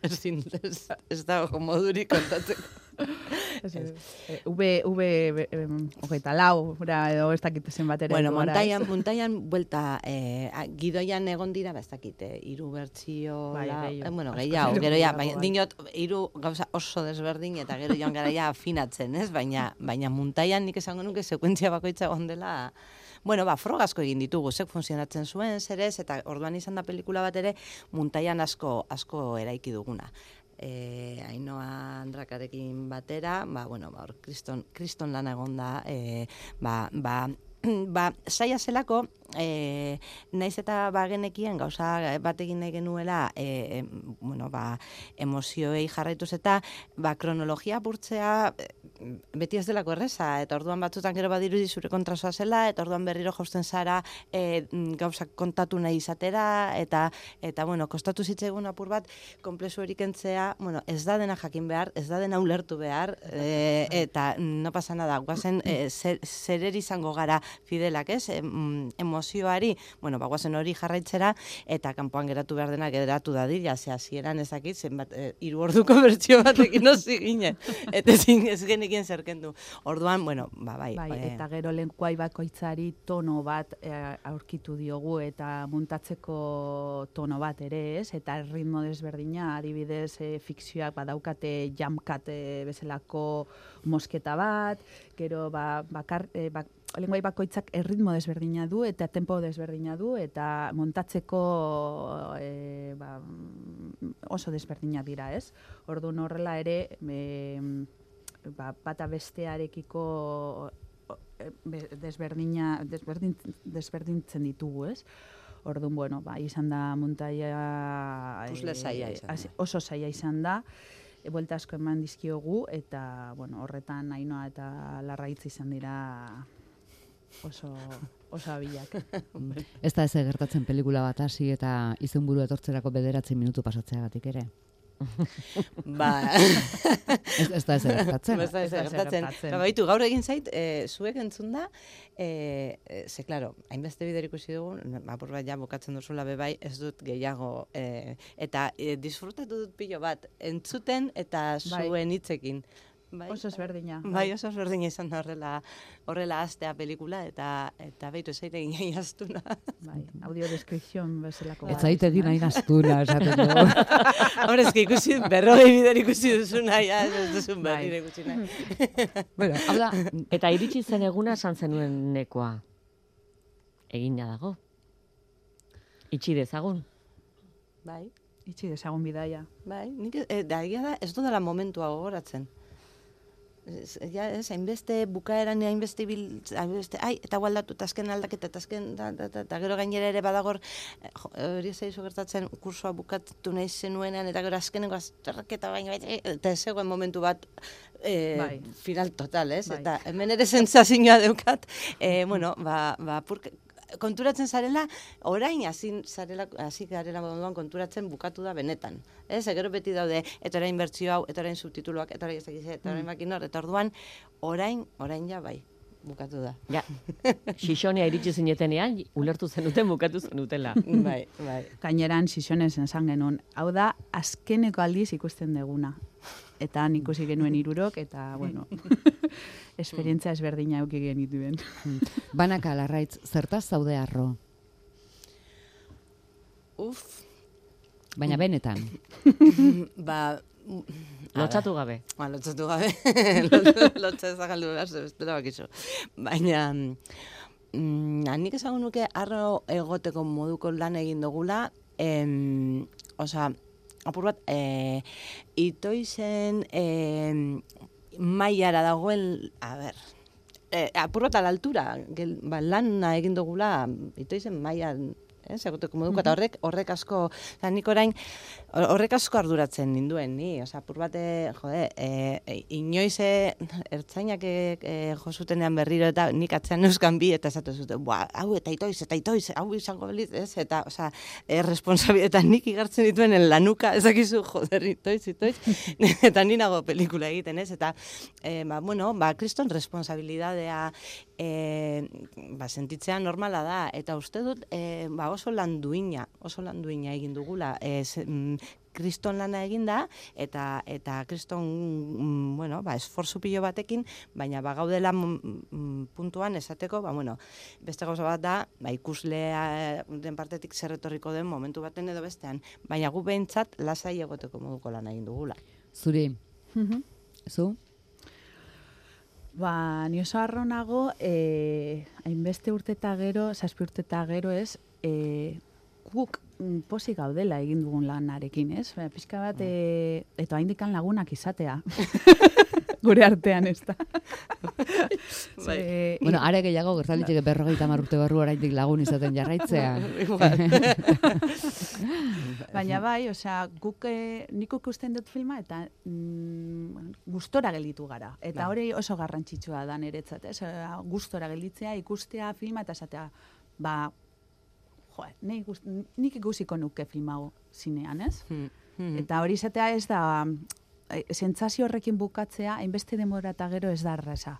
S4: ez, ez, ez dago modurik kontatzeko.
S5: E, V, V, hogeita lau, edo ez dakit zenbat ere.
S4: Bueno,
S5: heldu gara,
S4: montaian,
S5: ez?
S4: montaian buelta, eh, a- gidoian egon dira, ba, ez dakit, eh, hiru bertsio,
S5: Bai,
S4: la-
S5: gehiago.
S4: eh, bueno,
S5: Asko
S4: gehiago,
S5: gehiago
S4: gero ja,
S5: dago,
S4: baina,
S5: bai.
S4: dinot, hiru gauza oso desberdin, eta gero joan gara ja afinatzen, ez? Baina, baina montaian nik esango nuke sekuentzia bakoitza egon dela, bueno, ba, frogazko egin ditugu, zek funtzionatzen zuen, zer ez, eta orduan izan da pelikula bat ere, montaian asko, asko eraiki duguna. E, Ainoa Andrakarekin batera, ba, bueno, ba, hor, kriston, kriston lana egon da, e, ba, ba, ba, saia zelako, e, naiz eta bagenekien gauza bat egin nahi genuela, e, bueno, ba, emozioei jarraituz eta, ba, kronologia apurtzea e, beti ez delako erreza, eta orduan batzutan gero badirudi zure kontrasoa zela, eta orduan berriro jausten zara e, gauzak kontatu nahi izatera, eta, eta bueno, kostatu zitzaigun apur bat, konplexu erik entzea, bueno, ez da dena jakin behar, ez da dena ulertu behar, e, eta no pasa nada, guazen e, zer, zer izango gara fidelak, ez? Em, emozioari, bueno, ba, guazen hori jarraitzera, eta kanpoan geratu behar dena geratu dadila, ze hasieran ezakit, zenbat, e, hiru orduko bertsio batekin osi ginen, eta ezin ez genekien zerkendu. Orduan, bueno, ba, bai.
S5: Bai,
S4: e,
S5: eta gero lenguai bakoitzari tono bat e, aurkitu diogu eta muntatzeko tono bat ere, ez? Eta ritmo desberdina, adibidez, e, fikzioak badaukate jamkat e, bezalako mosketa bat, gero ba, bakar, e, bak, lenguai bakoitzak erritmo desberdina du eta tempo desberdina du eta montatzeko e, ba, oso desberdina dira, ez? Orduan horrela ere e, ba, bata bestearekiko desberdina, desberdin, desberdintzen ditugu, ez? Orduan, bueno, ba, izan da muntaia...
S4: Puzzle zaila izan da.
S5: hasi- Oso zaila izan da, e, buelta asko eman dizkiogu, eta, bueno, horretan Ainoa eta Larraitz izan dira oso, oso abilak.
S1: Ez da ez gertatzen pelikula bat hasi eta izenburu etortzerako bederatzi minutu pasatzeagatik ere.
S4: ba,
S1: Ez, ez da ez gertatzen.
S4: Ez da ez
S5: Ez da ezer
S4: gertatzen.
S5: gertatzen.
S4: Ba, baitu, gaur egin zait, e, zuek entzun da, e, e, ze, klaro, hainbeste bider ikusi dugu, apur bat ja bukatzen duzula bebai, ez dut gehiago, e, eta e, disfrutatu dut pilo bat, entzuten eta
S5: Bai.
S4: zuen hitzekin. Bai,
S5: Oso ezberdina.
S4: Bai, oso ezberdina izan da horrela, horrela astea pelikula, eta eta baitu ez zaite ginen jaztuna.
S5: Bai, audiodeskrizion bezalako.
S1: Ez zaite egin nahi naztuna, esaten du.
S4: Hombre, ez que ikusi, berrogei bider ikusi duzuna, ja, ez duzun
S5: Bai.
S4: berriro ikusi nahi.
S1: Bueno, hau da,
S6: Eta iritsi zen eguna esan zenuen nekoa. Egina dago. Itxi dezagun.
S4: Bai.
S5: Itxi dezagun bidaia.
S4: Bai, nik e, da, egia da ez dudala momentua gogoratzen. Ez, ja, ez, hainbeste bukaeran, hainbeste bil, hainbeste, ai, eta gualdatu, eta azken aldaketa, eta azken, da, da, da, eta gero gainera ere badagor, eh, jo, hori zaizu gertatzen, kursoa bukatu nahi zenuenean, eta gero azkeneko azterketa baina, eta ez zegoen momentu bat, e,
S5: Bai.
S4: final total, ez?
S5: Bai.
S4: Eta hemen ere sentsazioa daukat, e, bueno, ba, ba, purke, konturatzen zarela, orain hasi zarela, hasi garela moduan konturatzen bukatu da benetan. Ez, gero beti daude, eta orain bertsio hau, eta orain subtituluak, eta orain ez dakiz, eta orain makinor, eta orduan, orain, orain ja bai, bukatu da.
S6: Ja, Xixonia iritsi zinetenean, ulertu zenuten bukatu zenutela.
S4: bai, bai.
S5: Gaineran Xixones esan genuen. Hau da, azkeneko aldiz ikusten deguna. Eta han ikusi genuen hirurok eta, bueno, esperientzia ezberdina eduki genituen.
S1: banaka Larraitz, zertaz zaude harro?
S4: Uf,
S1: Baina benetan.
S4: ba,
S6: Lotxatu gabe.
S4: Ba, lotxatu gabe. Lotxa ezagaldu behar, zebestera bakizu. Baina, mm, nik esango nuke arro egoteko moduko lan egin dugula, em, osa, apur bat, e, itoizen e, mailara dagoen, a ber, e, apur bat a la altura, gel, ba, lana egin dugula, itoizen mailan, eh, egoteko moduko, eta horrek, horrek asko, oza, nik orain, horrek asko arduratzen ninduen, ni, oza, apur bat, e, jode, e, inoiz e, ertzainak e, e, josutenean berriro, eta nik atzean euskan bi, eta esatu zuten, bua, hau, eta itoiz, eta itoiz, hau izango beliz, ez, eta, oza, e, responsabilietan nik igartzen dituen en lanuka, ezakizu, joder, itoiz, itoiz, eta ni nago pelikula egiten, ez, eta, e, ba, bueno, ba, kriston responsabilidadea, e, ba, sentitzea normala da, eta uste dut, e, ba, oso lan duina, oso lan duina egin dugula, e, se, mm, kriston lana eginda, eta eta kriston, mm, bueno, ba, esforzu pilo batekin, baina ba, gaudela mm, puntuan esateko, ba, bueno, beste gauza bat da, ba, ikuslea den partetik zer etorriko den momentu baten edo bestean, baina gu behintzat lasai egoteko moduko lana egin dugula.
S1: Zuri, zu?
S5: Ba, ni oso harro nago, eh, hainbeste urte eta gero, zazpi urte eta gero ez, eh, guk mm, pozik gaudela egin dugun lanarekin, ez? Ba, pixka bat, eh, eta haindikan lagunak izatea. Gure artean, ez da. Ze-
S1: Bueno, are gehiago gertaliteke berrogeita hamar urte barru oraindik lagun izaten jarraitzea.
S5: Baina bai, osea, guk eh, nik ikusten dut filma eta mm, gustora gelditu gara. Eta hori oso garrantzitsua da niretzat, ez? Osea, gustora gelditzea, ikustea filma eta esatea, ba, jo, nik, gust- nik ikusiko nuke film hau zinean, ez? Eta hori izatea ez da, eh, sentsazio horrekin bukatzea, hainbeste denbora eta gero ez da erraza.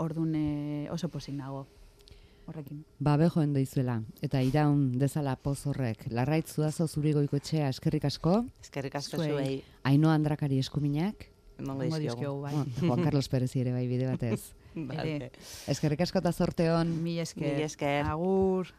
S5: Orduan eh, oso pozik nago horrekin.
S1: Ba, bejoen deizuela, eta iraun dezala poz horrek. Larraitz Zuazo Zuri Goikoetxea, eskerrik asko.
S4: Eskerrik asko
S5: Zuei.
S4: zuei,
S1: Ainhoa Andrakari eskuminak.
S4: emango
S5: Emango
S4: dizkiogu.
S5: dizkiogu, bai.
S1: Bueno, Juan Carlos Perezi ere bai bide batez.
S4: Vale.
S5: Ere.
S1: Eskerrik asko eta zorte hon.
S5: Mil esker.
S4: Mil esker.
S5: Agur.